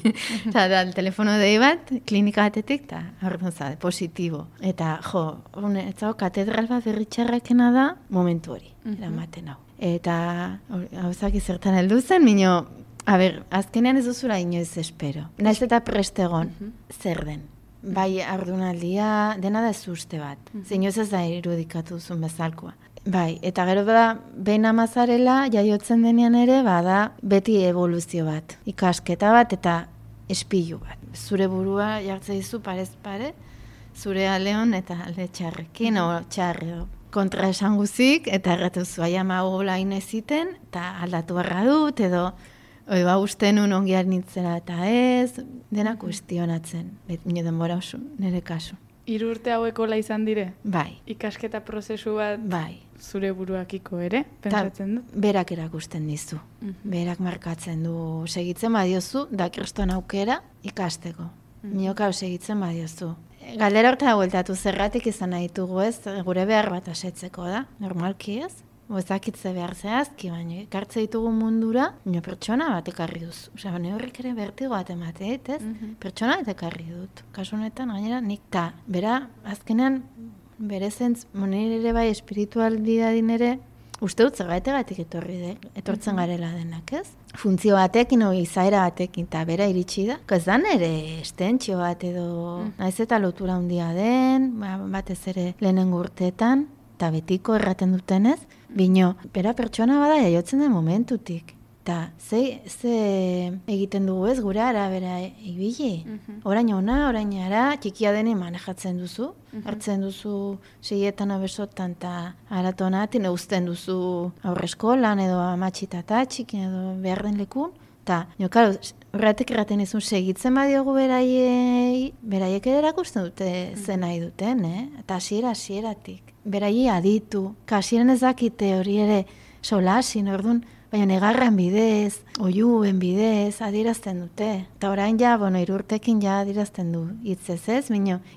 Speaker 4: Eta da, telefono dei bat, klinika batetik, eta orduan zade, positibo. Eta, etzago, katedral bat berritxarrakena da, momentu hori, eramaten hau. Eta, hauzak izertan heldu zen, minio, azkenean ez duzula inoiz espero. Naiz eta prestegon, zer den. Bai, ardunaldia, dena da ez uste bat. Inoiz ez da irudikatu duzun bezalkoa. Bai, eta gero da, behin amazarela, jaiotzen denean ere, bada beti evoluzio bat. Ikasketa bat eta espilu bat. Zure burua jartze dizu parez pare, zure aleon eta alde txarrekin, o txarre kontra esan guzik, eta erratuzu aiama gola ineziten, eta aldatu barra dut, edo usten un ongiar nintzera eta ez, dena kuestionatzen, nire denbora oso, nire kasu.
Speaker 3: 3 urte hauekola izan dire?
Speaker 4: Bai.
Speaker 3: Ikasketa prozesu bat
Speaker 4: bai.
Speaker 3: Zure buruakiko ere, pentsatzen du?
Speaker 4: Berak erakusten dizu. Berak markatzen du, segitzen badiozu, da kriston aukera ikasteko. Nioka segitzen badiozu. Galdera horta bueltatu zerratik izan nahi ditugu ez, gure behar bat asetzeko da, normalki ez. Ezakitze behar zehazki, baina ekartze ditugu mundura, pertsona bat ekarri duzu. Horrek ere bertigo bat emateet, ez? Pertsona bat ekarri dut. Kasu honetan, gainera, nik ta. Bera, azkenean, bere zentz, nire ere bai espiritualidadin ere, uste dut zergaitegatik etortzen garela denak, ez? Funtzio batekin, izaera batekin, eta bera iritsi da. Ez da nere estentzio bat edo, naiz eta lotura handia den, batez ere lehenengo urteetan, eta betiko erraten dutenez, bino, bera pertsona bada jaiotzen den momentutik. Eta, ze egiten dugu ez, gure arabera ibili. Orain ona, orain ara, txikia deni manejatzen duzu. Hartzen duzu seietan abesotan eta aratonatin, uzten duzu aurreskolan edo amatxitata txikin edo behar den lekun. Eta, horretik erraten izun segitzen badiogu beraiek ere erakusten dute zen nahi duten, eta hasieratik. Beraiei aditu, hasieran ez dakite hori ere solasin, orduan, baina negarran bidez, oiuen bidez, adierazten dute. Eta orain ja, 3 urtekin ja adierazten du hitzez ez,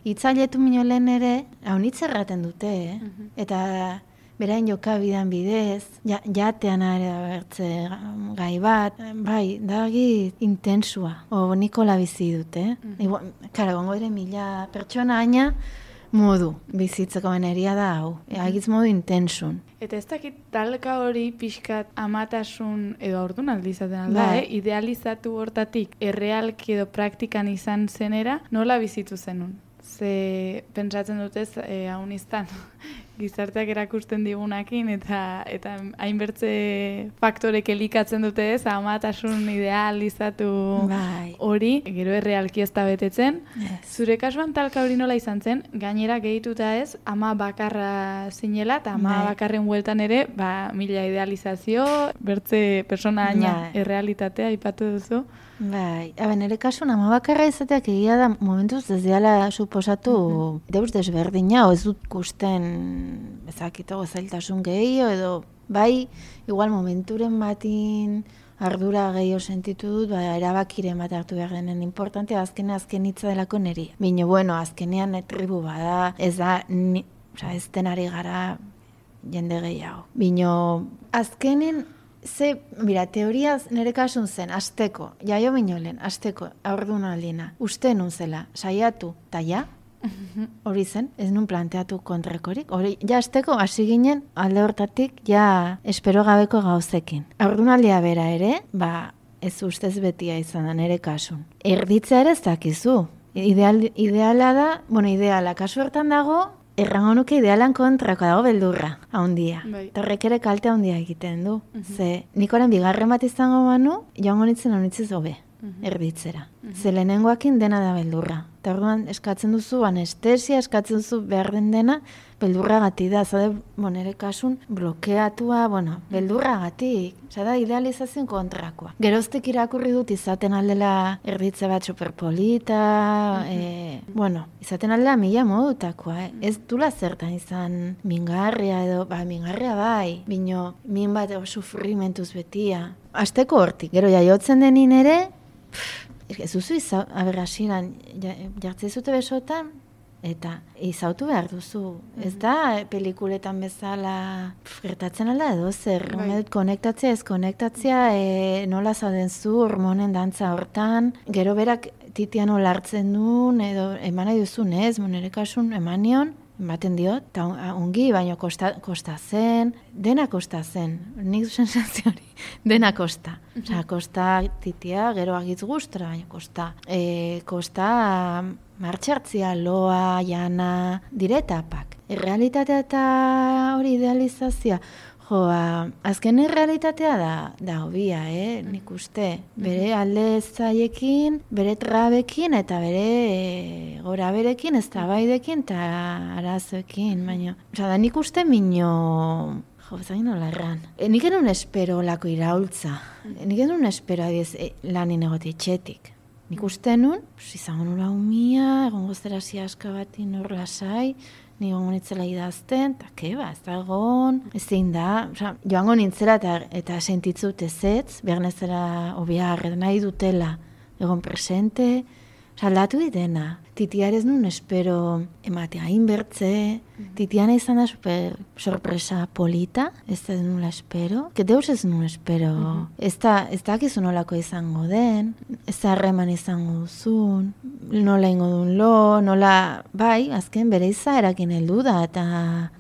Speaker 4: hitzailetu lehen ere, hau hitz erraten dute, eta berain jokabidan bidez, jatean bertze gai bat, bai, dagi intensua, Nikola bizi dute. Kara, gongo ere 1000 pertsona aina, modu bizitzeko beneria da hau, agiz modu intensun.
Speaker 3: Eta ez dakit talka hori pixkat amatasun edo aurdunaldi izaten alda, idealizatu hortatik errealki edo praktikan izan zenera, nola bizitu zenun? Ze pentsatzen dutez, haun iztan, gizarteak erakusten digunakin eta hainbertze faktorek elikatzen dute ez, amatasun idealizatu hori, gero errealki ez da betetzen. Zure kasuan talka hori nola izan zen, gainera gehituta ez, ama bakarra zinela eta ama bakarren bueltan ere, 1000 idealizazio, bertze persona aina errealitatea ipatu duzu.
Speaker 4: Bai, nire kasuan ama bakarra izateak egia da momentuz ez diala suposatu deus desberdina, ez dut kusten ezakitago zailtasun gehiago edo bai, igual momenturen batin ardura gehiago sentitu dut, erabakiren bat hartu behar denen importantea, azken hitza delako niri. Bino, azkenean tribu bada, ez da, ez denari gara jende gehiago. Bino, azkenen teoriaz nire kasun zen, asteko, jaio binolen, asteko, aurdunaldina, uste nun zela, saiatu, eta Hori zen, ez nun planteatu kontrakorik. Hori, ja azteko, hasi ginen, alde hortatik, ja espero gabeko gauzekin. Haurdunaldia bera ere, ez ustez betia izan da, nire kasun. Erditzea ere ez dakizu. Ideala da, ideala, kasu hortan dago, errango nuke idealan kontrako dago beldurra, haundia. Horrek ere kalte haundia egiten du. Ze, nik orain bigarren bat izango banu, joango nintzen honitziz hobe, erditzera. Ze lehenengoakin dena da beldurra. Eta orduan eskatzen duzu anestesia, eskatzen duzu behar den dena, beldurra gati da. Zade, nire kasun blokeatua, beldurra gatik. Zada, idealizazioen kontrakoa. Geroztek irakurri dut izaten aldela erditze bat superpolita, izaten aldela 1000 modutakoa. Ez dula zertan izan mingarria edo, mingarria bai, bino min bat sufrimentuz betia. Azteko hortik, gero jaiotzen denin ere, ez duzu aberrasiran jartzei zute besotan, eta izautu behar duzu. Ez da pelikuletan bezala gertatzen alda edo zer, konektatzea, ez konektatzea, nola zauden zu, hormonen dantza hortan, gero berak titian nola hartzen duen, edo eman nahi duzun ez, nire kasun emanion, ematen diot, eta ongi, baina kosta zen, dena kosta zen, nik du sensazio hori, dena kosta. Osa, kosta titia, gero agitz gustora, baina kosta. Kosta martxartzia, loa, jana, dire etapak. Errealitatea eta hori idealizazioa, azken errealitatea da hobia, nik uste. Bere alde zaiekin, bere trabekin eta bere gora berekin, ez tabaidekin eta arazoekin, baina. Osa, da nik uste minio, zain nola erran. Nik enun espero lako iraultza. Nik enun espero lanin egote etxetik. Nik uste nun, izango nula umia, egon gozera ziaska bati nor lasai, nigongo nintzela idazten, eta keba, ez da egon, ezin da, joango nintzela eta sentitzut ezetz, behar nezera obiar, nahi dutela, egon presente, aldatu ditena. Titiarez nun espero ematea inbertze, titiana izan da super sorpresa polita, ez da nula espero, deus ez nun espero, ez dakizu nolako izango den, ez da harreman izango duzun, nola ingo duen nola, bai, azken bere izaerakin heldu da, eta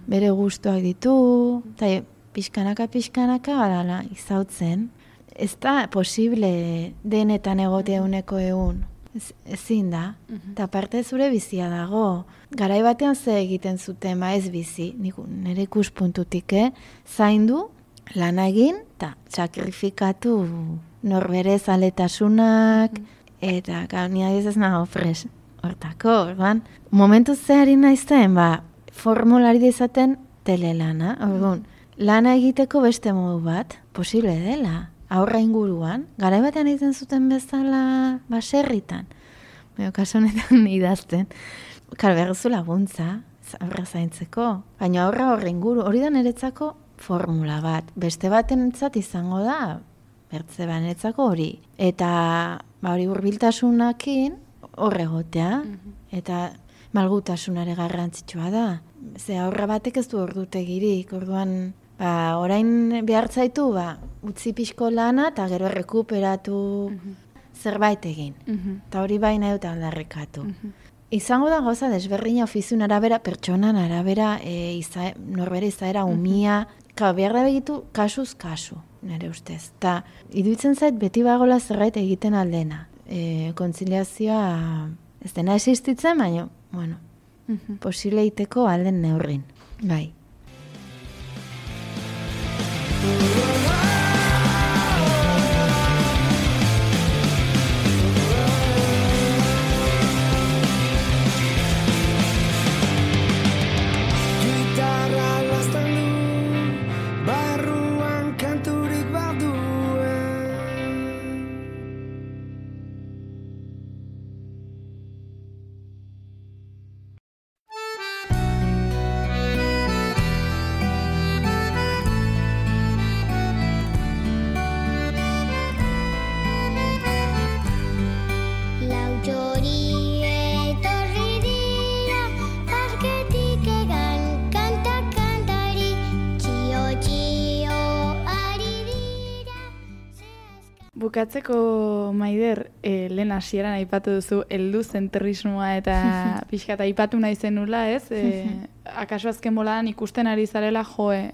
Speaker 4: bere gustuak ditu, eta pixkanaka, badala, izautzen, ez da posible denetan egotea uneko egun. Ezin da, eta parte zure bizia dago. Garai batean ze egiten zuten, ez bizi, nire ikuspuntutik, zaindu, lan egin, eta sakrifikatu norbere zaletasunak, eta nire ez nago fres, hortako, orduan. Momentu zehari naizten, formulari izaten telelana, orduan, lana egiteko beste modu bat, posible dela. Aurra inguruan, garai batean egiten zuten bezala baserritan. Kaso honetan idazten. Behar zu laguntza, aurra zaintzeko. Baina aurra inguru, hori da niretzako formula bat. Beste baten entzat izango da, bertze bat niretzako hori. Eta hori hurbiltasunakin horregotea. Eta malgutasunare garrantzitsua da. Ze aurra batek ez du ordutegirik, orduan... orain behar zaitu, utzi pixko lana eta gero errekuperatu zerbait egin. Eta hori bai nahi dut aldarrekatu. Izango da gauza desberdina ofiziun arabera, pertsonan arabera, norbere izaera umia, behar da begitu kasuz kasu, nire ustez. Eta iduitzen zait beti bagola zerbait egiten aldena. Kontziliazioa ez dena existitzen, baina, posible iteko alden neurrin. Bai.
Speaker 3: bukatzeko Maider, lehen hasieran aipatu duzu heldu zentrismoa eta pixka eta aipatu nahi zenula, ez? Akaso azken boladan ikusten ari zarela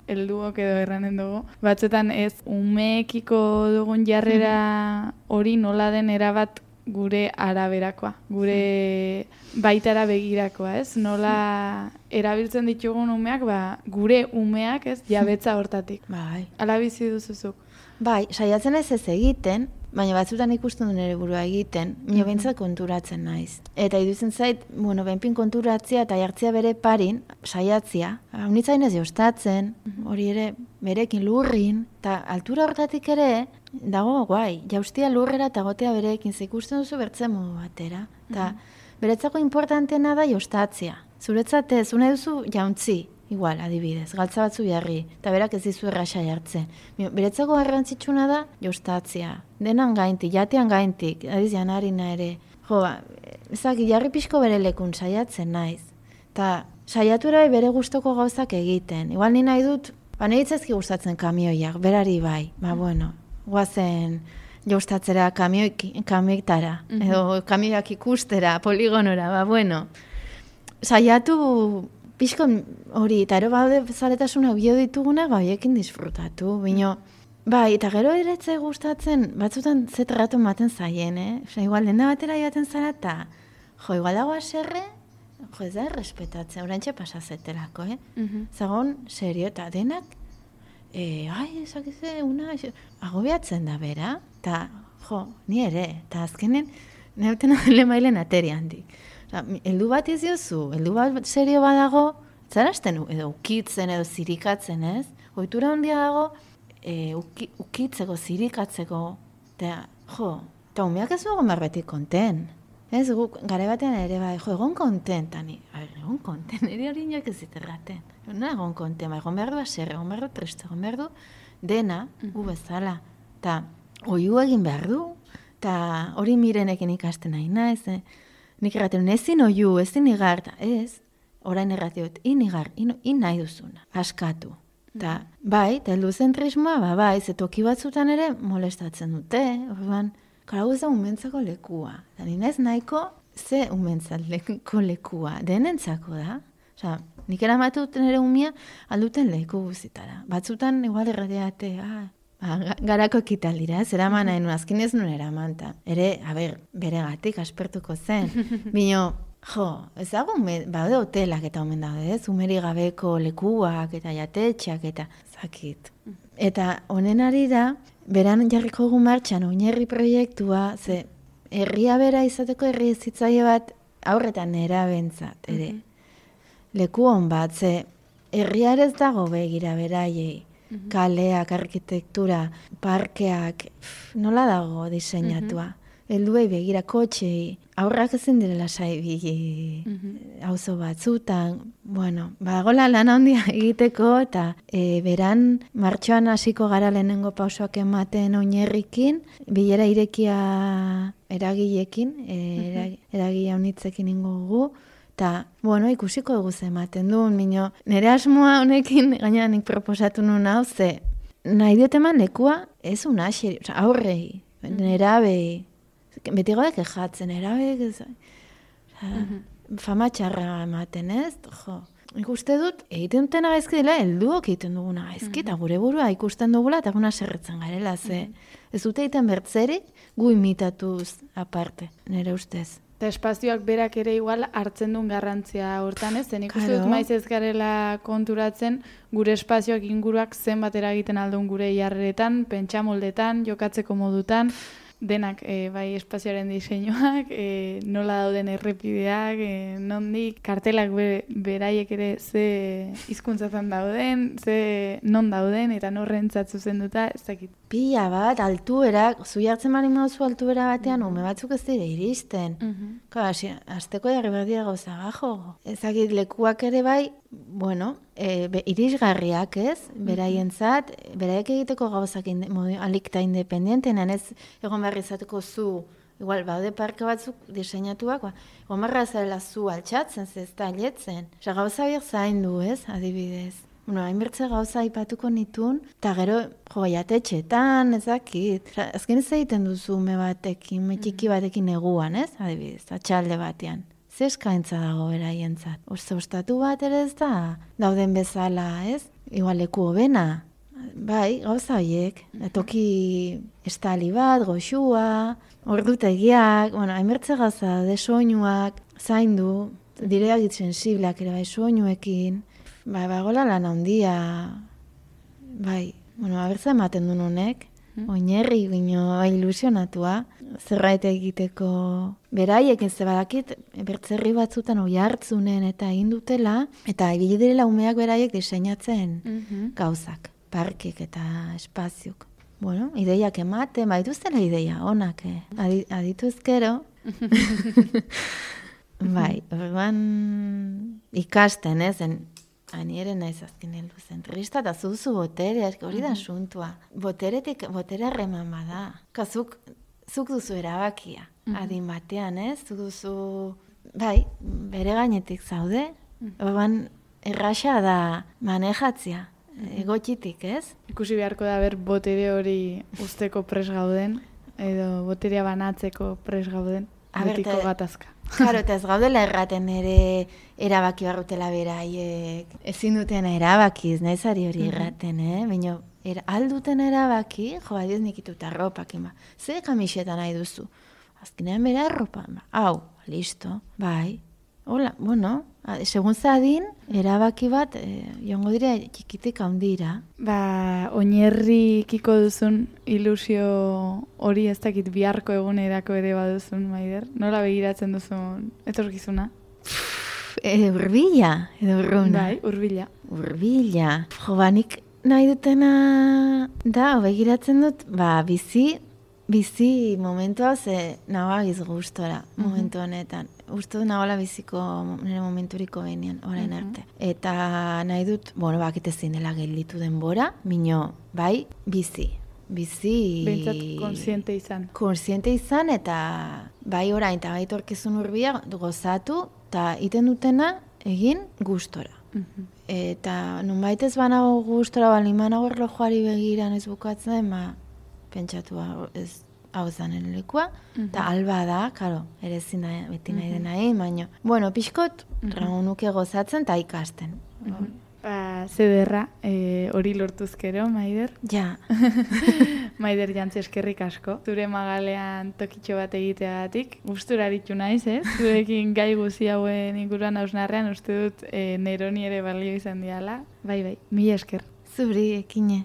Speaker 3: helduok edo erranen dugu. Batzuetan ez umeekiko dugun jarrera hori nola den erabat gure araberakoa, gure baitara begirakoa, ez? Nola erabiltzen ditugun umeak, gure umeak, ez? Jabetza hortatik.
Speaker 4: Bai.
Speaker 3: Ala bizi duzuzuk.
Speaker 4: Bai, saiatzen ez egiten, baina batzutan ikusten du nire burua egiten, nio behintzat konturatzen naiz. Eta iduzen zait, benpin konturatzea eta jartzea bere parin, saiatzea, unitzain ez jostatzen, hori ere berekin lurrin, eta altura hortatik ere, dago guai, jaustia lurrera eta gotea berekin, ikusten duzu bertzen modu batera. Eta beretzako importanteena da jostatzea. Zuretzat ez, une duzu jauntzi, igual, adibidez, galtza batzu jarri, eta berak ez dizu erraxa jartzen. Beretzako garrantzitsuna da jostatzea. Denan gaintik, jatean gaintik, adiz janarina ere. Ezak, jarri pixko bere lekun saiatzen naiz. Eta saiatu ere bere gustoko gauzak egiten. Igual ni nahi dut, nire gustatzen kamioiak, berari bai. Guazen jostatzera kamioitara, edo kamioiak ikustera, poligonora, saiatu pixko hori, eta ero baude zaletasuna bio dituguna, hoiekin disfrutatu, bino, bai, eta gero eretzai gustatzen, batzutan zetratu maten zaien, igual denda batera joaten zara, eta igual dago aserre, ez da errespetatzen, orantxe pasazetelako, zagon, serio, eta denak, esakize, agobiatzen da bera, eta, ni ere, eta azkenen, neuten adele mailen ateri handik. Heldu bat iziozu, heldu bat serio badago, zarazten edo ukitzen edo zirikatzen, ez? Ohitura handia dago, ukitzeko, zirikatzeko, eta umeak ez dugu marbetik konten. Ez, gare batean ere bai, egon konten, tani, egon konten, ere hori inoak ez ziterraten. Egon konten, egon behar du aserre, egon behar du triste, egon behar du dena, gu bezala. Eta oiu egin behar du, eta hori mirenekin ikasten nahi naiz, nik erraten, ezin oiu, ezin igar, ez, orain erratiot, inigar, nahi duzuna, askatu. Ta, bai, eta heluzentrismoa, bai, zetoki batzutan ere molestatzen dute, orduan, karagu ez da umentzako lekua. Eta ninez nahiko, ze umentzako lekua, denentzako da. Osa, nik eramatuten ere umia alduten leku guzitara. Batzutan, igual erradiate, garako ekitaldira, ez eraman nahi nuen, azkin ez nuen eramanta. Ere, bere gatik aspertuko zen. Bino, ez dago, baude hotelak eta omen daude, ez? Umeri gabeko lekuak eta jatetxeak eta zakit. Eta honen ari da, beran jarriko gu martxan oinarri proiektua, ze herria bera izateko herri ezitzaile bat aurretan nera bentzat, ere. Leku hon bat, ze herria ez dago begira beraiei. Kaleak, arkitektura, parkeak, nola dago diseinatua. Helduei begira kotxei, aurrak ezin direla saibili auzo batzutan. Badagola lan handia egiteko eta beran martxoan hasiko gara lehenengo pausoak ematen oinarrikin, bilera irekia eragileekin, eragile unitzekin ingogu. Eta, ikusiko dugu ematen duen, nire asmoa honekin, gaina nik proposatu nuen hau, ze nahi dut eman lekua, ez unaxeri, aurrei, nerabei, beti godek ejatzen, nerabei, fama txarra ematen, ez? Ikuste dut, egiten dutena gaizki dela, helduok egiten duguna gaizki, eta gure burua ikusten dugula, eta guna serretzen garela, ze ez dute egiten bertzerik, gu imitatuz aparte, nire ustez.
Speaker 3: Eta espazioak berak ere igual hartzen duen garrantzia hortan, ez? Zen ikusten dut maiz ez garela konturatzen gure espazioak inguruak zenbat eragiten aldun gure jarreretan, pentsamoldetan, jokatzeko modutan, denak bai espazioaren diseinuak, nola dauden errepideak, nondik kartelak beraiek ere ze hizkuntzatan dauden, ze non dauden eta norrentzat zuzenduta, ez dakit.
Speaker 4: Pila bat, altuerak, zu jartzen bali moduzu altuera batean, ume batzuk ez dira iristen. Azteko jarri behar dira gauza gajo. Ezakit lekuak ere bai, irisgarriak ez, beraientzat, beraiek egiteko gauzak alikta independentena, ez egon behar izateko zu, igual, baude parke batzuk diseinatuak, egon behar zarela zu altxatzen, ez da aletzen. Gauza biak zaindu ez, adibidez. hainbertze gauza aipatuko nitun, eta gero, jatetxetan, ezakit. Azken ez egiten duzu ume batekin, metxiki batekin neguan, ez? Adibidez, atxalde batean. Ze eskaintza dago beraientzat. Ostatu bat ere ez da, dauden bezala, ez? Igual leku hobena. Bai, gauza horiek. Toki estali bat, goxua, ordutegiak, hainbertze gauza, soinuak, zaindu, direak sensibleak ere bai soinuekin, gola lan handia, abertza ematen duen honek, oinerri bino ilusionatua, zerbait egiteko beraiek ez badakit, bertzerri batzutan oi hartzunen eta egin dutela, eta ibili direla umeak beraiek diseinatzen gauzak, parkik eta espaziuk. Ideiak ematen, dituztela ideia, onak, aditu ezkero. Orduan ikasten, ani ere naiz azken heldu zentrista, eta zuzu botere, hori da asuntua. Botere harreman bada. Zuk duzu erabakia, adin batean, zuk duzu, bere gainetik zaude, orduan erraxa da manejatzia, egotxitik, ez?
Speaker 3: Ikusi beharko da botere hori usteko pres gauden, edo boterea banatzeko pres gauden, betiko gatazka.
Speaker 4: Claro, eta ez gaudela erraten ere erabaki barrutela beraiek. Ezin duten erabakiz, naizari hori erraten, baina alduten erabaki, adiz nikituta arropak, ze kamiseta nahi duzu? Azkenean bera arropa, hau, listo, hola, segun zadin, erabaki bat, joango dira txikitik handira.
Speaker 3: Oinerrikiko duzun ilusio hori ez dakit biharko egunerako ere baduzun, Maider? Nola begiratzen duzun etorkizuna?
Speaker 4: Urbila, edo urruna.
Speaker 3: Urbila.
Speaker 4: Urbila. Nik nahi dutena da, begiratzen dut, bizi momentu hau ze nagoagiz gustora, momentu honetan. Uste dut nagoela biziko nire momenturiko benean, orain arte. Eta nahi dut, bakitezin dela gelditu denbora, mino, bizi.
Speaker 3: Bentsat konsiente izan.
Speaker 4: Konsiente izan, eta orain, eta torkizun urbia gozatu, eta iten dutena egin gustora. Eta nunbait ez banago gustora, balimanago erlojuari begiran ez bukatzen, pentsatu ez hau zanen lekua, eta alba da, karo, ere ezin da beti nahi dena baina, pixkot, nuke gozatzen eta ikasten.
Speaker 3: Zederra, hori lortuzkero, Maider?
Speaker 4: Ja.
Speaker 3: Maider Jantzi eskerrik asko. Zure magalean tokitxo bat egiteagatik, gustura aritu naiz, zurekin gai guzi hauen inguruan hausnarrean, uste dut neroni ere balio izan diala. Bai, mila esker.
Speaker 4: Zuri, ekine.